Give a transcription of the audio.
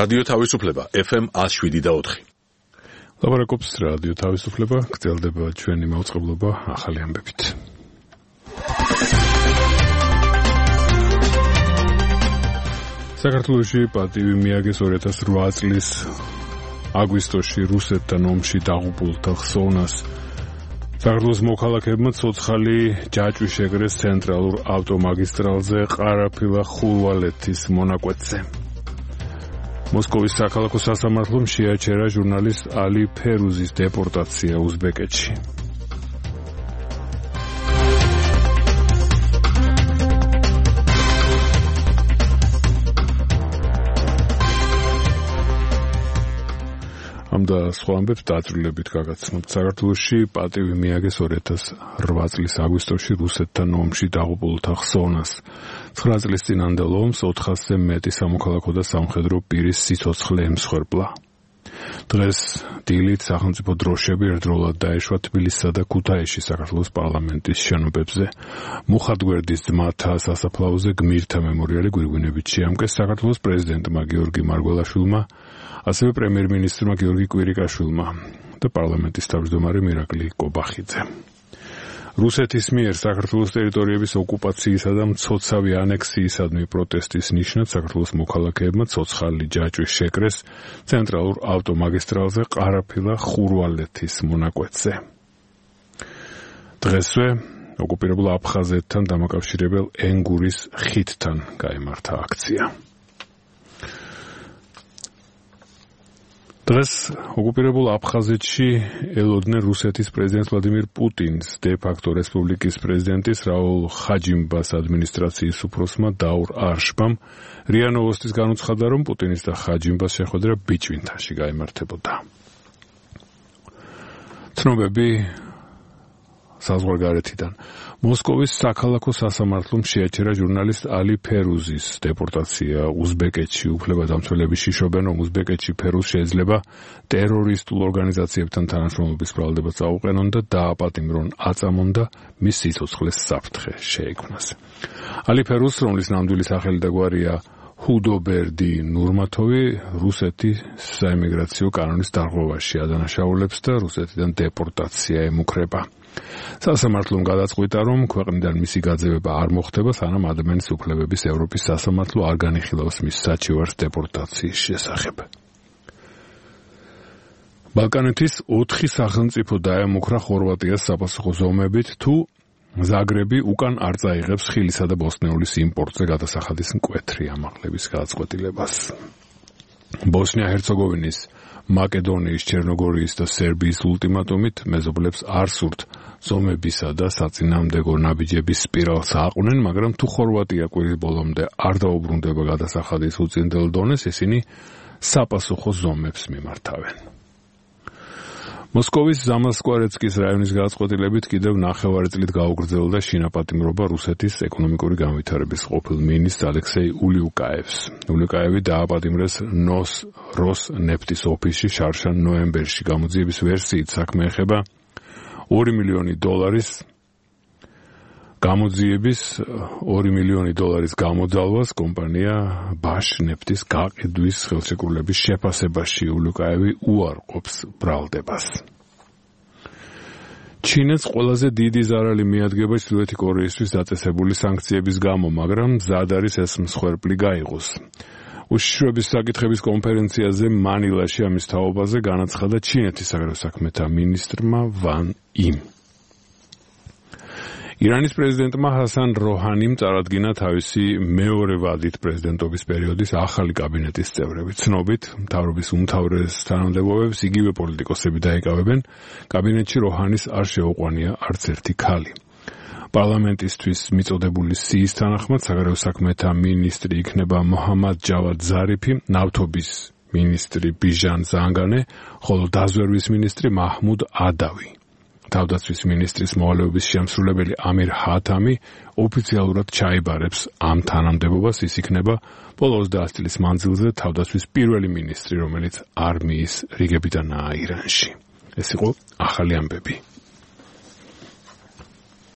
რადიო თავისუფლება FM 107.4. ლაპარაკობს რადიო თავისუფლება, გრძელდება ჩვენი მაუწყებლობა ახალი ამბებით. საქართველოში პატივი მიაგეს 2008 წლის აგვისტოში რუსეთთან ომში დაღუპულთა ხსოვნას. საქართველოს მოქალაქეებმა ცოცხალი ჯაჭვი შეკრეს ცენტრალურ ავტომაგისტრალზე ყარაფილა-ხურვალეთის მონაკვეთზე. მოსკოვის საქალაქო სასამართლომ შეაჩერა ჟურნალისტ ალი ფერუზის დეპორტაცია უზბეკეთში. ამ და სხვა ამბებს დაწვრილებით გაგაცნობთ. საქართველოში პატივი მიაგეს 2008 წლის აგვისტოში რუსეთთან ომში დაღუპულთა ხსოვნას. 9 წლის წინანდელ ომს 400-ზე მეტი სამოქალაქო და სამხედრო პირის სიცოცხლე ემსხვერპლა. დღეს დილით სახელმწიფო დროშები ერთდროულად დაეშვა თბილისსა და ქუთაისში საქართველოს პარლამენტის შენობებზე. მუხათგვერდის ძმათა სასაფლაოზე გმირთა მემორიალი გვირგვინებით შეამკეს საქართველოს პრეზიდენტმა გიორგი მარგველაშვილმა, ასევე პრემიერ-მინისტრმა გიორგი კვირიკაშვილმა და პარლამენტის თავმჯდომარე მირაკლი კობახიძე. რუსეთის მიერ საქართველოს ტერიტორიების ოკუპაციისა და მცოცავი ანექსიისადმი პროტესტის ნიშნად საქართველოს მოქალაქეებმა ცოცხალი ჯაჭვი შეკრეს ცენტრალურ ავტომაგისტრალზე ყარაფილა-ხურვალეთის მონაკვეთზე. დღესვე ოკუპირებულ აფხაზეთთან დამაკავშირებელ ენგურის ხიდთან გაიმართა აქცია. დღეს ოკუპირებულ აფხაზეთში ელოდნენ რუსეთის პრეზიდენტ ვლადიმირ პუტინს, დე-ფაქტო რესპუბლიკის პრეზიდენტის რაულ ხაჯიმბას ადმინისტრაციის უფროსმა დაურ არშბამ. რია ნოვოსტის განუცხადა, რომ პუტინის და ხაჯიმბას შეხვედრა ბიჭვინთაში გაიმართებოდა. ცნობები საზღვარგარეთიდან. მოსკოვის საქალაქო სასამართლომ შეაჩერა ჟურნალისტ ალი ფერუზის დეპორტაცია უზბეკეთში. უფლებადამცველები შიშობენ, რომ უზბეკეთში ფერუზ შეიძლება ტერორისტულ ორგანიზაციებთან თანამშრომლობის ბრალდებაც აუყენონ და დააპატიმრონ აწამონ და მის სიცოცხლეს საფრთხე შეექმნას. ალი ფერუზ, რომლის ნამდვილი სახელი და გვარია ჰუდობერდი ნურმათოვი, რუსეთის საიმიგრაციო კანონის დარღვევაში ადანაშაულებს და რუსეთიდან დეპორტაცია ემუქრება. სასამართლომ გადაწყვიტა, რომ ქვეყნიდან მისი გაძევება არ მოხდება, სანამ ადამიანის უფლებების ევროპის სასამართლო არ განიხილავს მის საჩივარს დეპორტაციის შესახებ. ბალკანეთის 4 სახელმწიფო დაემუქრა ხორვატიას საპასუხო ზომებით, თუ ზაგრები უკან არ წაიღებს ხილისა და ბოსტნეულის იმპორტზე გადასახადის მკვეთრი ამაღლების გადაწყვეტილებას. ბოსნია-ჰერცეგოვინის, მაკედონიის, ჩერნოგორიის და სერბიის ულტიმატუმით მეზობლებს არ სურთ ზომებისა და საწინააღმდეგო ნაბიჯების სპირალს აყვნენ, მაგრამ თუ ხორვატია კვირის ბოლომდე არ დაუბრუნდება გადასახადის უწინდელ დონეს, ისინი საპასუხო ზომებს მიმართავენ. მოსკოვის ზამასკვარეცკის რაიონის გადაწყვეტილებით კიდევ 9 წლით გაუგრძელდა შინაპატიმრობა რუსეთის ეკონომიკური განვითარების ყოფილ მინისტრ ალექსეი ულიუკაევს. ულიუკაევი დააპატიმრეს როსნეფტის ოფისში შარშან ნოემბერში. გამოძიების ვერსიით საქმე ეხება $2 მილიონი გამოძიების $2 მილიონი გამოძალვას კომპანია ბაშნეფტის გაყიდვის ხელშეკრულების შეფასებაში. ულიუკაევი უარყოფს ბრალდებას. ჩინეთს ყველაზე დიდი ზარალი მიადგება ჩრდილოეთი კორეისთვის დაწესებული სანქციების გამო, მაგრამ მზად არის ეს მსხვერპლი გაიღოს. უშიშროების საკითხების კონფერენციაზე მანილაში ამის თაობაზე განაცხადა ჩინეთის საგარეო საქმეთა მინისტრმა ვან იმ. ირანის პრეზიდენტმა ჰასან როჰანიმ წარადგინა თავისი მეორე ვადით პრეზიდენტობის პერიოდის ახალი კაბინეტის წევრები. ცნობით, მთავრობის უმთავრეს თანამდებობებს იგივე პოლიტიკოსები დაიკავებენ. კაბინეტში როჰანის არ შეუყვანია არც ერთი ქალი. პარლამენტისთვის მიწოდებული სიის თანახმად საგარეო საქმეთა მინისტრი იქნება მოჰამად ჯავად ზარიფი, ნავთობის მინისტრი ბიჟან ზანგანე, ხოლო დაზვერვის მინისტრი მაჰმუდ ადავი. თავდაცვის მინისტრის მოვალეობის შემსრულებელი ამირ ჰათამი ოფიციალურად ჩაიბარებს ამ თანამდებობას. ის იქნება ბოლო 30 წლის მანძილზე თავდაცვის პირველი მინისტრი, რომელიც არმიის რიგებიდანაა ირანში. ეს იყო ახალი ამბები.